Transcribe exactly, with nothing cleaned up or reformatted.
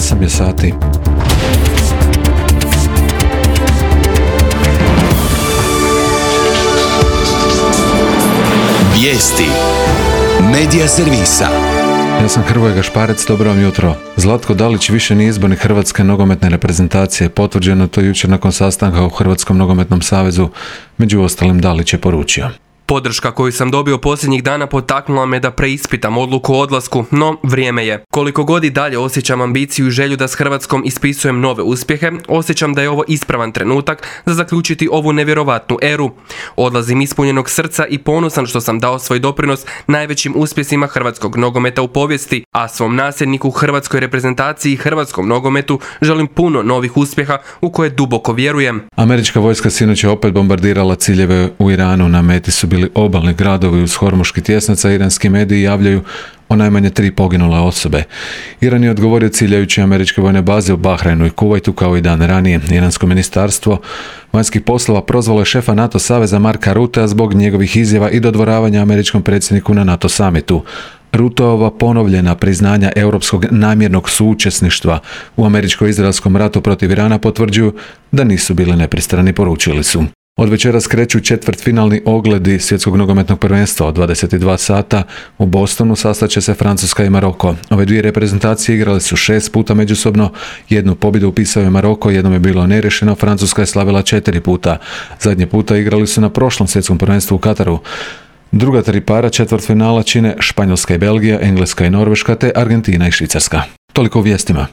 osam je sati. Vijesti Medija servisa. Ja sam Hrvoje Gašparec, dobro vam jutro. Zlatko Dalić više nije izbornik Hrvatske nogometne reprezentacije. Potvrđeno to jučer nakon sastanka u Hrvatskom nogometnom savezu. Među ostalim Dalić je poručio: Podrška koju sam dobio posljednjih dana potaknula me da preispitam odluku o odlasku, no vrijeme je. Koliko god i dalje osjećam ambiciju i želju da s Hrvatskom ispisujem nove uspjehe, osjećam da je ovo ispravan trenutak za zaključiti ovu nevjerovatnu eru. Odlazim ispunjenog srca i ponosan što sam dao svoj doprinos najvećim uspjesima hrvatskog nogometa u povijesti, a svom nasljedniku hrvatskoj reprezentaciji i hrvatskom nogometu želim puno novih uspjeha u koje duboko vjerujem. Američka vojska sinoć je opet bombardirala ciljeve u Iranu. Na meti su bili obalni gradovi uz Hormuški tjesnac, a iranski mediji javljaju o najmanje tri poginule osobe. Iran je odgovorio ciljajući američke vojne baze u Bahrajnu i Kuvajtu kao i dan ranije. Iransko ministarstvo vanjskih poslova prozvalo je šefa NATO saveza Marka Rutea zbog njegovih izjava i dodvoravanja američkom predsjedniku na NATO samitu. Ruteova ponovljena priznanja europskog namjernog suučesništva u američko-izraelskom ratu protiv Irana potvrđuju da nisu bili nepristrani, poručili su. Od večeras kreću četvrtfinalni ogledi svjetskog nogometnog prvenstva od dvadeset dva sata. U Bostonu sastaće se Francuska i Maroko. Ove dvije reprezentacije igrale su šest puta međusobno. Jednu pobjedu upisao je Maroko, jednom je bilo neriješeno. Francuska je slavila četiri puta. Zadnje puta igrali su na prošlom svjetskom prvenstvu u Kataru. Druga tri para četvrtfinala čine Španjolska i Belgija, Engleska i Norveška te Argentina i Švicarska. Toliko u vijestima.